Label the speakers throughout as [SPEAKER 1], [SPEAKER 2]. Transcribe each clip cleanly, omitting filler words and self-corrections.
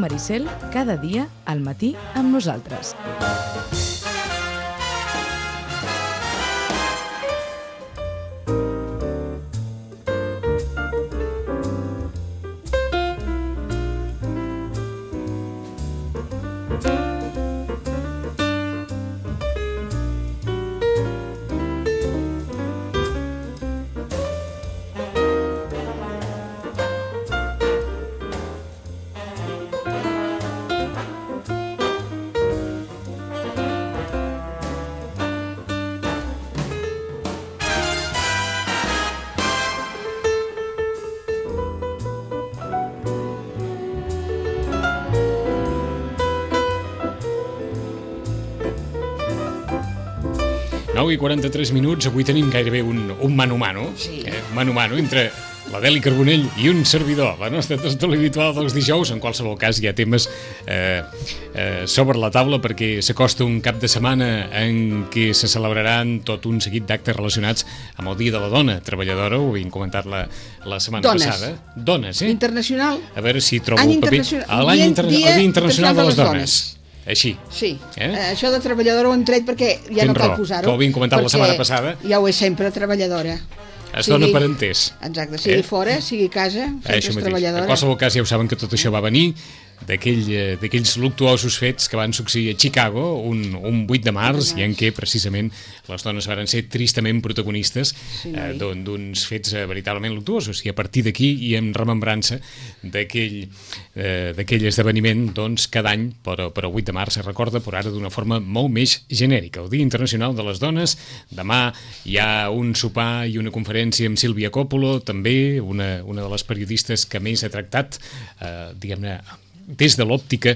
[SPEAKER 1] Maricel, cada dia al matí amb nosaltres.
[SPEAKER 2] I 43 minuts, avui tenim gairebé un mano-mano, mano-mano entre l'Adeli Carbonell i un servidor, la nostra tertúlia habitual dels dijous. En qualsevol cas hi ha temes sobre la taula perquè s'acosta un cap de setmana en què se celebraran tot un seguit d'actes relacionats amb el Dia de la Dona Treballadora. Ho havíem comentat la setmana passada. Dones,
[SPEAKER 3] Internacional.
[SPEAKER 2] A veure si trobo el paper. El Dia Internacional de les Dones. Així.
[SPEAKER 3] Sí, això de treballadora ho hem tret perquè ja no cal posar-ho.
[SPEAKER 2] Que ho havíem comentat la setmana passada.
[SPEAKER 3] Ja ho és sempre, treballadora.
[SPEAKER 2] Es dona per entès.
[SPEAKER 3] Exacte, sigui fora, sigui a casa, sempre és treballadora.
[SPEAKER 2] En qualsevol cas ja ho saben que tot això va venir d'aquells luctuosos fets que van succeir a Chicago un 8 de març i en què precisament les dones van ser tristament protagonistes d'uns fets veritablement luctuosos, i a partir d'aquí i en remembrança d'aquell esdeveniment, doncs cada any però el 8 de març es recorda, però ara d'una forma molt més genèrica, el Dia Internacional de les Dones. Demà hi ha un sopar i una conferència amb Sílvia Coppolo, també una de les periodistes que més ha tractat diguem-ne des de l'òptica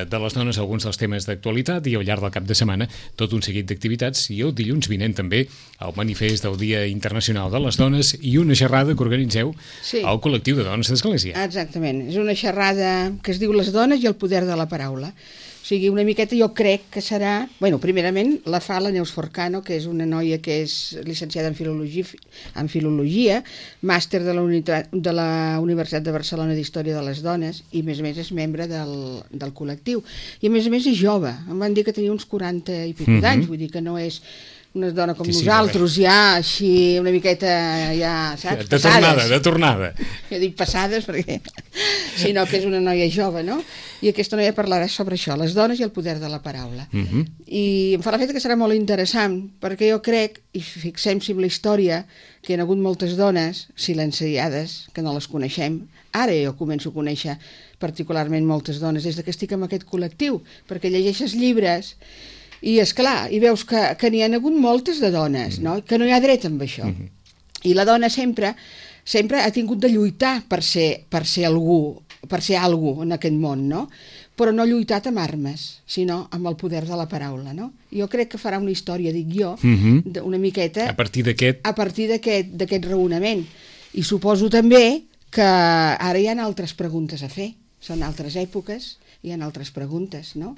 [SPEAKER 2] de les dones alguns dels temes d'actualitat, i al llarg del cap de setmana tot un seguit d'activitats, i el dilluns vinent també el manifest del Dia Internacional de les Dones i una xerrada que organitzeu al col·lectiu de dones d'Església.
[SPEAKER 3] Exactament, és una xerrada que es diu Les dones i el poder de la paraula. O sigui, una miqueta jo crec que serà... primerament la fa la Neus Forcano, que és una noia que és llicenciada en Filologia, màster de la Universitat de Barcelona d'Història de les Dones, i a més és membre del col·lectiu. I a més és jove, em van dir que tenia uns 40 i pico d'anys, vull dir que no és una dona com nosaltres, ja així una miqueta, ja saps, passades.
[SPEAKER 2] De tornada.
[SPEAKER 3] Jo dic passades perquè... sinó que és una noia jove, no? I aquesta noia parlarà sobre això, les dones i el poder de la paraula. I em fa l'efecte que serà molt interessant, perquè jo crec, i fixem-s'hi en la història, que hi ha hagut moltes dones silenciades, que no les coneixem. Ara jo començo a conèixer particularment moltes dones des que estic en aquest col·lectiu, perquè llegeixes llibres i, esclar, i veus que n'hi ha hagut moltes de dones, no? Que no hi ha dret amb això. I la dona sempre ha tingut de lluitar per ser algú en aquest món, no? Però no ha lluitat amb armes, sinó amb el poder de la paraula, no? Jo crec que farà una història, dic jo, una miqueta...
[SPEAKER 2] A partir
[SPEAKER 3] d'aquest raonament. I suposo també que ara hi ha altres preguntes a fer. Són altres èpoques, hi ha altres preguntes, no?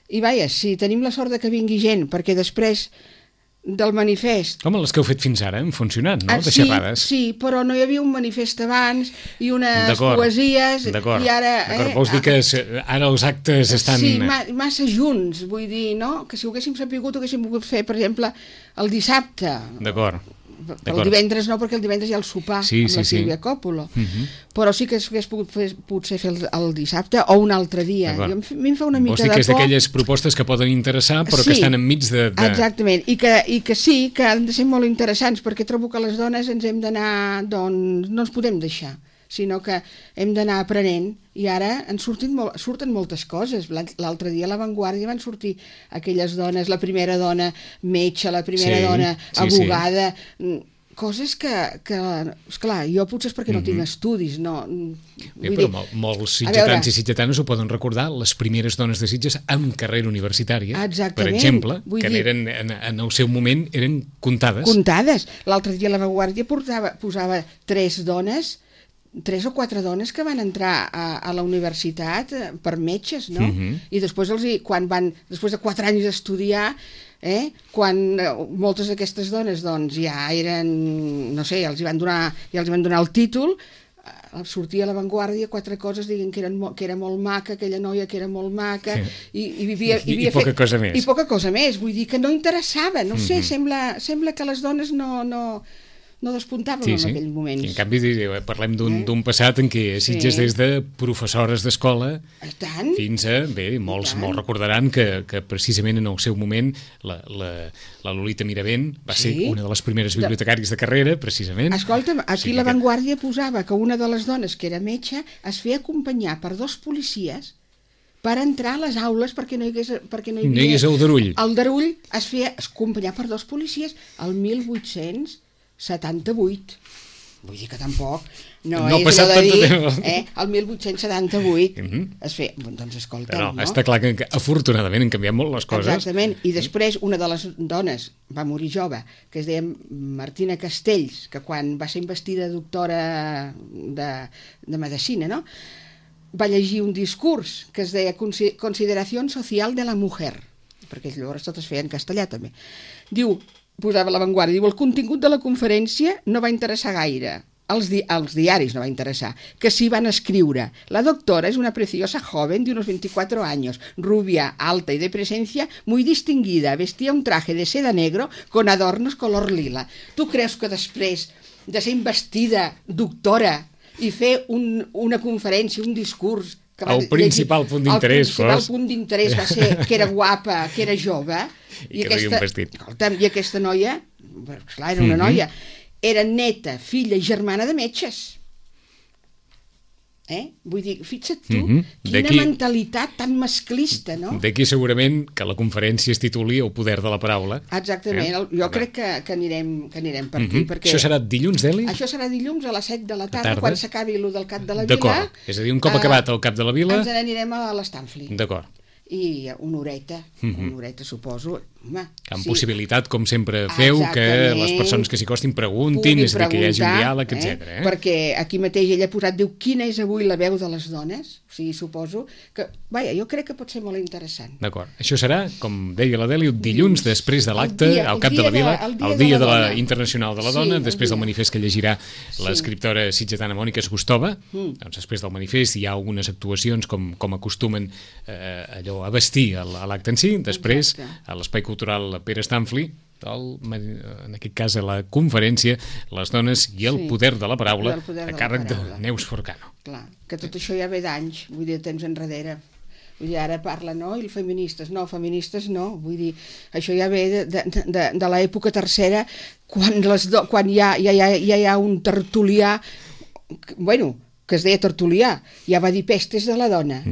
[SPEAKER 3] I vaja, si tenim la sort de que vingui gent, perquè després del manifest...
[SPEAKER 2] Home, les que heu fet fins ara han funcionat, no? De xerrades.
[SPEAKER 3] Sí, però no hi havia un manifest abans i unes poesies...
[SPEAKER 2] D'acord,
[SPEAKER 3] i ara...
[SPEAKER 2] Vols dir que ara els actes estan...
[SPEAKER 3] Sí, massa junts, vull dir, no? Que si ho haguéssim sapigut, ho haguéssim pogut fer, per exemple, el dissabte.
[SPEAKER 2] D'acord.
[SPEAKER 3] El divendres no, perquè el divendres hi ha el sopar amb la Sílvia Coppolo. Però sí que s'hagués pogut fer potser el dissabte o un altre dia. A mi em fa una mica de por.
[SPEAKER 2] Vols dir que és d'aquelles propostes que poden interessar però que estan enmig de...
[SPEAKER 3] Exactament, i que sí, que han de ser molt interessants, perquè trobo que les dones ens hem d'anar, doncs, no ens podem deixar, sinó que hem d'anar aprenent, i ara surten moltes coses. L'altre dia a La Vanguardia van sortir aquelles dones, la primera dona metge, la primera dona abogada, coses que, esclar, jo potser és perquè no tinc estudis, no...
[SPEAKER 2] Però molts sitgetans i sitgetanes ho poden recordar, les primeres dones de Sitges amb carrera universitària, per exemple, que eren, en el seu moment eren comptades.
[SPEAKER 3] Comptades. L'altre dia La Vanguardia posava 3 o 4 dones que van entrar a la universitat per metges, no? I després, després de 4 anys d'estudiar, quan moltes d'aquestes dones doncs, ja eren, no sé, ja els van donar el títol, sortia a l'avantguàrdia 4 coses dient que era molt maca, aquella noia que era molt maca,
[SPEAKER 2] I poca cosa més.
[SPEAKER 3] I poca cosa més, vull dir que no interessava, no sé, sembla que les dones no despuntàvem en aquells moments.
[SPEAKER 2] I en canvi parlem d'un passat en què Sitges des de professores d'escola fins a, molts recordaran que precisament en el seu moment la Lolita Miravent va ser una de les primeres bibliotecàries de carrera, precisament.
[SPEAKER 3] Escolta'm, aquí l'avantguàrdia posava que una de les dones que era metge es feia acompanyar per 2 policies per entrar a les aules perquè no hi hagués
[SPEAKER 2] aldarull.
[SPEAKER 3] El darull es feia acompanyar per 2 policies al 1878. Vull dir que tampoc no és
[SPEAKER 2] passat
[SPEAKER 3] allò de dir,
[SPEAKER 2] tant de
[SPEAKER 3] el 1878 es feia, doncs escolta'm, no?
[SPEAKER 2] Està clar que afortunadament han canviat molt les coses.
[SPEAKER 3] Exactament, i després una de les dones va morir jove, que es deia Martina Castells, que quan va ser investida doctora de medicina, no?, va llegir un discurs que es deia Consideración social de la mujer, perquè llavors tot es feia en castellà també. Diu, posava l'avantguàrdia, diu, el contingut de la conferència no va interessar gaire, als diaris no va interessar, que sí van escriure. La doctora es una preciosa joven de unos 24 años, rubia, alta y de presencia muy distinguida, vestía un traje de seda negro con adornos color lila. Tu creus que després de ser investida doctora i fer una conferència, un discurs...
[SPEAKER 2] El principal punt d'interès
[SPEAKER 3] va ser que era guapa, que era jove...
[SPEAKER 2] I que duia un vestit.
[SPEAKER 3] I aquesta noia, clar, era una noia, era neta, filla i germana de metges. Vull dir, fixa't tu, quina mentalitat tan masclista, no?
[SPEAKER 2] D'aquí segurament que la conferència es tituli El poder de la paraula.
[SPEAKER 3] Exactament, jo crec que anirem per aquí.
[SPEAKER 2] Això serà dilluns, Eli?
[SPEAKER 3] Això serà dilluns a les 7 de la tarda, quan s'acabi el del Cap de la Vila.
[SPEAKER 2] D'acord, és a dir, un cop acabat el Cap de la Vila...
[SPEAKER 3] Ens n'anirem a l'Stanfli.
[SPEAKER 2] D'acord.
[SPEAKER 3] I una horeta, suposo.
[SPEAKER 2] Amb possibilitat, com sempre feu, que les persones que s'hi costin preguntin, és a dir, que hi hagi un diàleg, etc.
[SPEAKER 3] Perquè aquí mateix ella ha posat, diu, quina és avui la veu de les dones? O sigui, suposo que, jo crec que pot ser molt interessant.
[SPEAKER 2] D'acord. Això serà, com deia l'Adèlia, dilluns després de l'acte, al Cap de la Vila, el dia de la Internacional de la Dona, després del manifest que llegirà l'escriptora sitgetana Mònica Esgustova. Doncs després del manifest hi ha algunes actuacions com acostumen allò a vestir a l'acte en si, després a l'Espai Cultural Pere Stanfli, en aquest cas a la conferència Les dones i el poder de la paraula, a càrrec de Neus Forcano.
[SPEAKER 3] Clar, que tot això ja ve d'anys, vull dir, de temps enrere. Vull dir, ara parla, no? I feministes no, vull dir, això ja ve de l'època tercera, quan ja hi ha un tertulià, que es deia Tertulià, ja va dir pestes de la dona.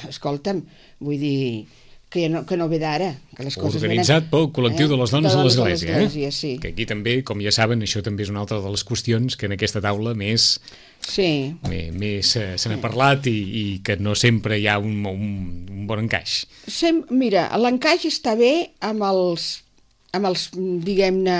[SPEAKER 3] Escolta'm, vull dir... que no ve d'ara.
[SPEAKER 2] Organitzat pel col·lectiu de les dones a l'Església.
[SPEAKER 3] Sí.
[SPEAKER 2] Que aquí també, com ja saben, això també és una altra de les qüestions que en aquesta taula més se n'ha parlat i que no sempre hi ha un bon encaix.
[SPEAKER 3] Mira, l'encaix està bé amb els diguem-ne,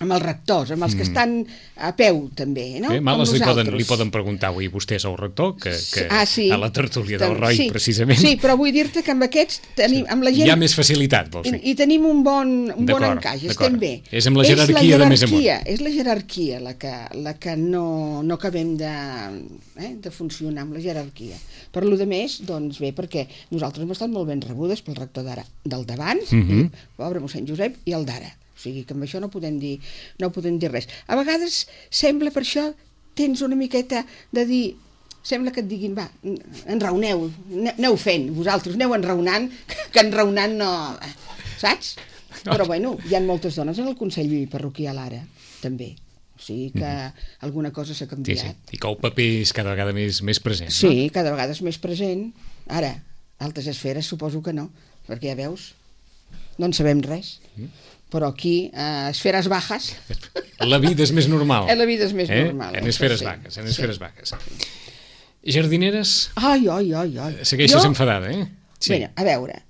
[SPEAKER 3] amb els rectors, amb els que estan a peu també, no?
[SPEAKER 2] Males li poden preguntar avui vostès al rector que a la tertúlia del ROI, precisament.
[SPEAKER 3] Sí, però vull dir-te que amb aquests tenim, amb la gent...
[SPEAKER 2] Hi ha més facilitat, vols dir?
[SPEAKER 3] I tenim un bon encaix, estem bé.
[SPEAKER 2] És amb la jerarquia de més amunt.
[SPEAKER 3] És la jerarquia la que no acabem de funcionar amb la jerarquia. Per lo de més, doncs bé, perquè nosaltres hem estat molt ben rebudes pel rector del davant, pobre mossèn Josep, i el d'ara. O sigui que amb això no podem dir res. A vegades sembla, per això tens una miqueta de dir, sembla que et diguin, va, enraoneu, aneu fent, vosaltres aneu enraonant, que enraonant no... Saps? Però bueno, hi ha moltes dones en el Consell Parroquial ara, també. O sigui que alguna cosa s'ha canviat.
[SPEAKER 2] Sí. I que el paper és cada vegada més present.
[SPEAKER 3] Sí, cada vegada és més present. Ara, altres esferes suposo que no, perquè ja veus, no en sabem res. Però aquí, esferes bajas...
[SPEAKER 2] La vida és més normal.
[SPEAKER 3] La vida és més normal.
[SPEAKER 2] En esferes baixes. Jardineres?
[SPEAKER 3] Ai.
[SPEAKER 2] Segueixes enfadada,
[SPEAKER 3] Sí. Bé, a veure,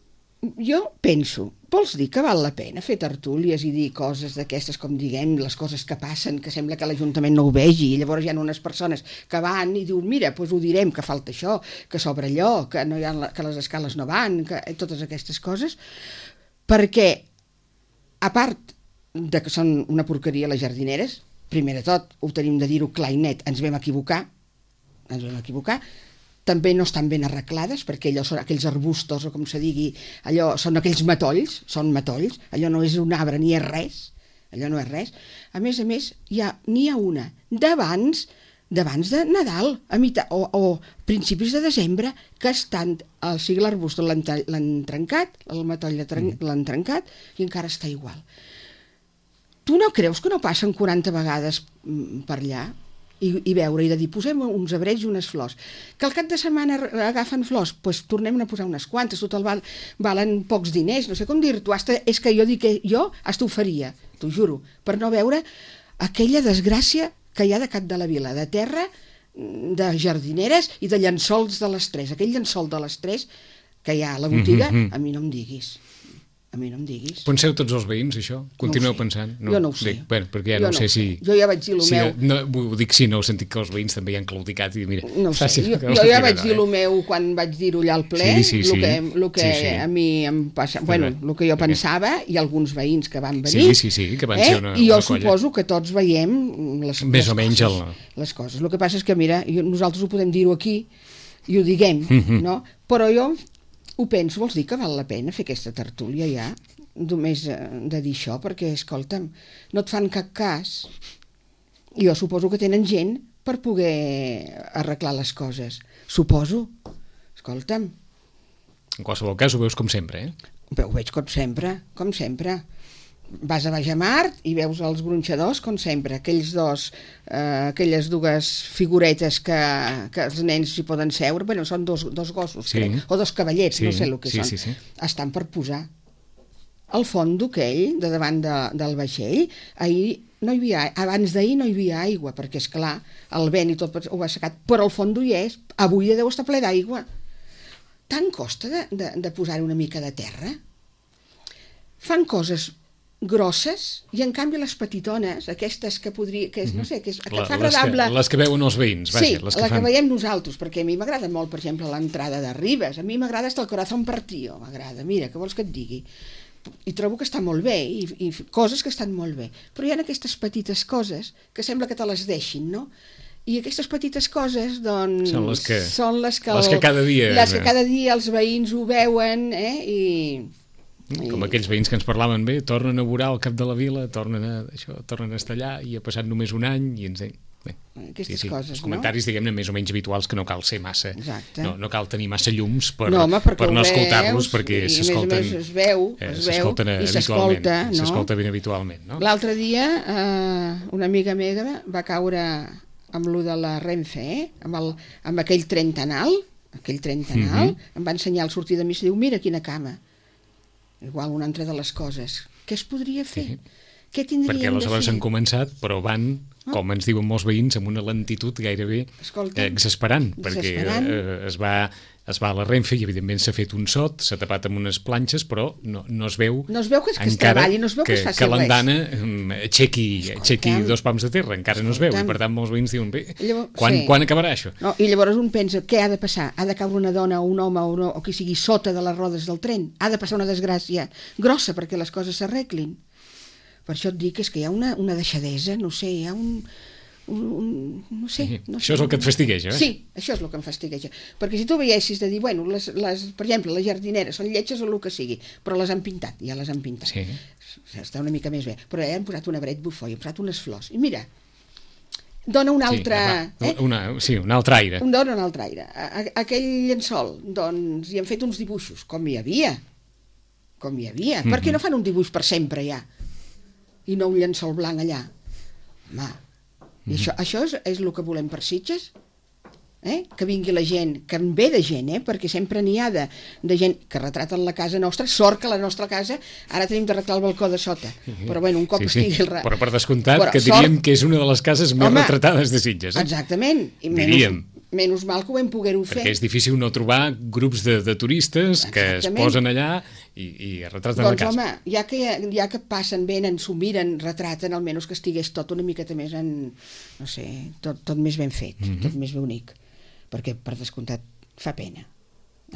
[SPEAKER 3] jo penso, vols dir que val la pena fer tertúlies i dir coses d'aquestes, com diguem, les coses que passen, que sembla que l'Ajuntament no ho vegi, i llavors hi ha unes persones que van i diuen, mira, doncs ho direm, que falta això, que s'obre allò, que les escales no van, que totes aquestes coses, perquè a part de que són una porqueria les jardineres, primer de tot, ho tenim de dir-ho clar i net, ens vam equivocar, també no estan ben arreglades, perquè allò són aquells arbustos, o com se digui, allò són aquells matolls, allò no és un arbre ni és res, allò no és res. A més, n'hi ha una d'abans de Nadal, o principis de desembre, que estan, o sigui, l'arbust l'han trencat, el matoll l'han trencat, i encara està igual. Tu no creus que no passen 40 vegades per allà? I veure, i de dir, posem uns abrets i unes flors. Que al cap de setmana agafen flors, doncs tornem a posar unes quantes, total valen pocs diners, no sé com dir-t'ho, és que jo dic que jo ho faria, t'ho juro, per no veure aquella desgràcia que hi ha de cap de la vila, de terra, de jardineres i de llençols de les 3. Aquell llençol de les 3 que hi ha a la botiga, a mi no em diguis.
[SPEAKER 2] Penseu tots els veïns, això? Continueu pensant?
[SPEAKER 3] Jo no ho sé.
[SPEAKER 2] Bé, perquè ja no sé si...
[SPEAKER 3] Jo ja vaig dir el meu...
[SPEAKER 2] Ho dic sí, no, he sentit que els veïns també hi han claudicat i mira...
[SPEAKER 3] No ho sé, jo ja vaig dir el meu quan vaig dir-ho allà al ple, el que a mi em passa... Bueno, el que jo pensava, i alguns veïns que van venir...
[SPEAKER 2] Sí, que van ser una colla.
[SPEAKER 3] I jo suposo que tots veiem
[SPEAKER 2] més o menys
[SPEAKER 3] les coses. El que passa és que, mira, nosaltres ho podem dir-ho aquí i ho diguem, no? Però jo... ho penso, vols dir que val la pena fer aquesta tertúlia ja, només de dir això, perquè, escolta'm, no et fan cap cas. Jo suposo que tenen gent per poder arreglar les coses. Suposo. Escolta'm.
[SPEAKER 2] En qualsevol cas ho veus com sempre,
[SPEAKER 3] Ho veig com sempre. Vas a Bajamart i veus els gronxadors, com sempre, aquelles dues figuretes que els nens s'hi poden seure, bueno, són dos gossos, crec, o dos cavallets, no sé el que són.
[SPEAKER 2] Sí.
[SPEAKER 3] Estan per posar. Al fondo aquell, de davant del vaixell, abans d'ahir no hi havia aigua, perquè, esclar, el vent i tot ho va assecat, però al fondo hi és, avui deu estar ple d'aigua. Tant costa de posar una mica de terra? Fan coses grosses, i en canvi les petitones, aquestes que podria, que és, no sé, que et fa agradable...
[SPEAKER 2] Les que veuen els veïns, vaja.
[SPEAKER 3] Sí, que veiem nosaltres, perquè a mi m'agrada molt, per exemple, l'entrada de Ribes, a mi m'agrada hasta el corazón partido, m'agrada, mira, què vols que et digui? I trobo que està molt bé, i coses que estan molt bé, però hi ha aquestes petites coses que sembla que te les deixin, no? I aquestes petites coses, doncs... Són les que cada dia els veïns ho veuen,
[SPEAKER 2] com aquells veïns que ens parlaven bé, tornen a vorar al cap de la vila, tornen a estar allà i ha passat només un any i ens...
[SPEAKER 3] Aquestes coses,
[SPEAKER 2] els comentaris, diguem-ne, més o menys habituals, que no cal ser massa...
[SPEAKER 3] Exacte.
[SPEAKER 2] No cal tenir massa llums per no escoltar-los, perquè s'escolten...
[SPEAKER 3] I a més es veu i
[SPEAKER 2] s'escolta ben habitualment, no?
[SPEAKER 3] L'altre dia una amiga meva va caure amb lo de la Renfe, amb aquell tren tanal, em va ensenyar al sortir de missa i diu, mira quina cama. Igual una altra de les coses. Què es podria fer? Què tindríem de fer?
[SPEAKER 2] Perquè aleshores han començat, però van, com ens diuen molts veïns, amb una lentitud gairebé exasperant, perquè es va a la Renfe i evidentment s'ha fet un sot, s'ha tapat amb unes planxes, però no es veu
[SPEAKER 3] que es treballi, no es veu que es faci res.
[SPEAKER 2] Que l'andana aixequi 2 pams de terra, encara no es veu, i per tant molts veïns diuen, bé, quan acabarà això?
[SPEAKER 3] No, i llavors un pensa, què ha de passar? Ha de caure una dona o un home o qui sigui sota de les rodes del tren? Ha de passar una desgràcia grossa perquè les coses s'arreglin? Per això et dic que és que hi ha una deixadesa, no sé, hi ha no sé.
[SPEAKER 2] Això és el que et fastigueja,
[SPEAKER 3] Sí, això és el que em fastigueja. Perquè si tu veiessis de dir, bueno, per exemple, les jardineres són lletges o el que sigui, però les han pintat, ja les han pintat.
[SPEAKER 2] Sí.
[SPEAKER 3] Està una mica més bé. Però ja han posat un arbret bufó i han posat unes flors. I mira, dona un altre...
[SPEAKER 2] un altre aire.
[SPEAKER 3] Dona un altre aire. Aquell llençol, doncs, hi han fet uns dibuixos, com hi havia. Per què no fan un dibuix per sempre ja? I no un llençol blanc allà? Home, i això és el que volem per Sitges? Que vingui la gent, que en ve de gent, perquè sempre n'hi ha de gent que retraten la casa nostra, sort que la nostra casa ara tenim d'arreglar el balcó de sota, però bueno, un cop estigui...
[SPEAKER 2] Però per descomptat que diríem que és una de les cases més retratades de Sitges.
[SPEAKER 3] Exactament, i menys mal que ho vam poder-ho fer.
[SPEAKER 2] Perquè és difícil no trobar grups de turistes que es posen allà i retraten la casa.
[SPEAKER 3] Doncs home, ja que passen, venen, s'ho miren, retraten, almenys que estigués tot una miqueta més no sé, tot més ben fet, tot més bonic. Perquè, per descomptat, fa pena.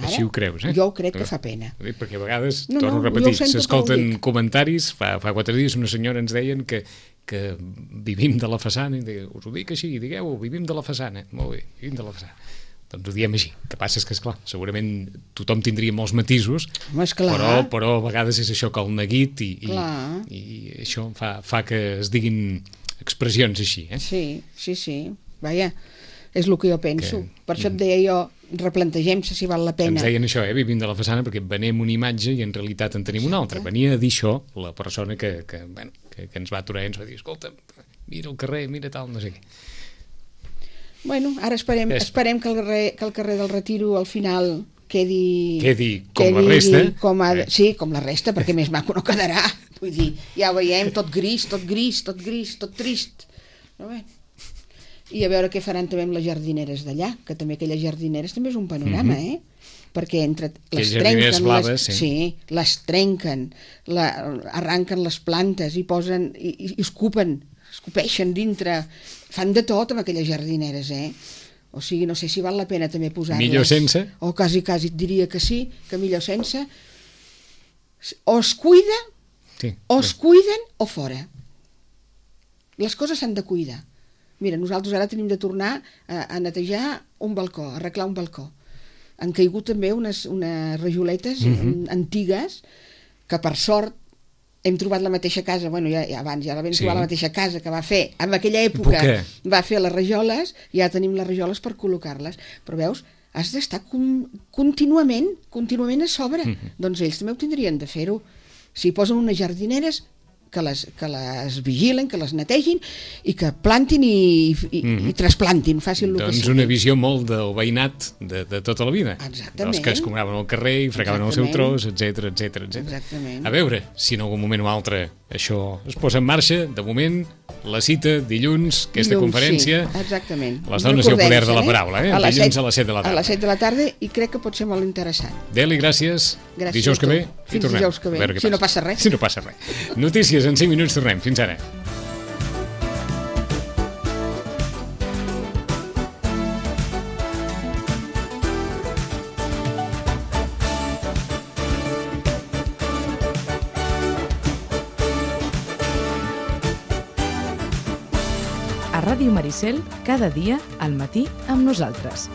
[SPEAKER 2] Així ho creus, eh?
[SPEAKER 3] Jo ho crec que fa pena.
[SPEAKER 2] Perquè a vegades,
[SPEAKER 3] No,
[SPEAKER 2] torno a
[SPEAKER 3] jo ho
[SPEAKER 2] repetir,
[SPEAKER 3] sento com ho
[SPEAKER 2] s'escolten
[SPEAKER 3] dic.
[SPEAKER 2] comentaris, fa 4 dies una senyora ens deien que vivim de la façana, i deia, us ho dic així, digueu, vivim de la façana. Molt bé, vivim de la façana. Doncs ho diem així. El que passa és que, esclar, segurament tothom tindria molts matisos,
[SPEAKER 3] Home, esclar.
[SPEAKER 2] però a vegades és això que el neguit i això fa que es diguin expressions així, eh?
[SPEAKER 3] Sí. Vaja, és el que jo penso. Per això et deia jo, replantegem-se si val la pena.
[SPEAKER 2] Ens deien això, vivim de la façana perquè venem una imatge i en realitat en tenim una altra. Venia a dir això la persona que ens va aturar i ens va dir, escolta, mira el carrer, mira tal, no sé què.
[SPEAKER 3] Bueno, ara esperem que el carrer del Retiro al final quedi
[SPEAKER 2] com la resta.
[SPEAKER 3] Sí, com la resta, perquè més maco no quedarà. Vull dir, ja ho veiem, tot gris, tot trist. Però bé. I a veure què faran també amb les jardineres d'allà, que també aquelles jardineres també és un panorama, perquè entre les
[SPEAKER 2] jardineres
[SPEAKER 3] trenquen,
[SPEAKER 2] blaves,
[SPEAKER 3] les trenquen, arranquen les plantes i posen i escopeixen dintre, fan de tot amb aquelles jardineres, o sigui, no sé si val la pena també posar-les.
[SPEAKER 2] Millor sense?
[SPEAKER 3] O quasi et diria que sí, que millor sense. O es cuida, o es cuiden o fora. Les coses s'han de cuidar. Mira, nosaltres ara tenim de tornar a netejar un balcó, a arreglar un balcó. Han caigut també unes rajoletes antigues que per sort hem trobat la mateixa casa, bueno, ja abans ja la vam trobar la mateixa casa que va fer, en aquella època va fer les rajoles, ja tenim les rajoles per col·locar-les, però veus, has d'estar contínuament a sobre, doncs ells també ho tindrien de fer-ho. Si posen unes jardineres, que les vigilen, que les netegin i que plantin i trasplantin, facin el que sigui.
[SPEAKER 2] Doncs una visió molt del veïnat de tota la vida.
[SPEAKER 3] Exactament.
[SPEAKER 2] Dels que es cobraven al carrer i fregaven el seu tros, etc.
[SPEAKER 3] Exactament.
[SPEAKER 2] A veure si en algun moment o altre això es posa en marxa. De moment, la cita dilluns, aquesta conferència.
[SPEAKER 3] Sí, exactament.
[SPEAKER 2] Les dones i el poder de la paraula, dilluns a les 7 de la tarda.
[SPEAKER 3] A les 7 de la tarda i crec que pot ser molt interessant.
[SPEAKER 2] Deli, gràcies.
[SPEAKER 3] Gràcies
[SPEAKER 2] Dijous que ve i
[SPEAKER 3] Fins
[SPEAKER 2] tornem.
[SPEAKER 3] dijous que ve, si no passa res.
[SPEAKER 2] Si no passa res. Notícies en 5 minuts, tornem. Fins ara.
[SPEAKER 1] A Ràdio Maricel, cada dia al matí amb nosaltres.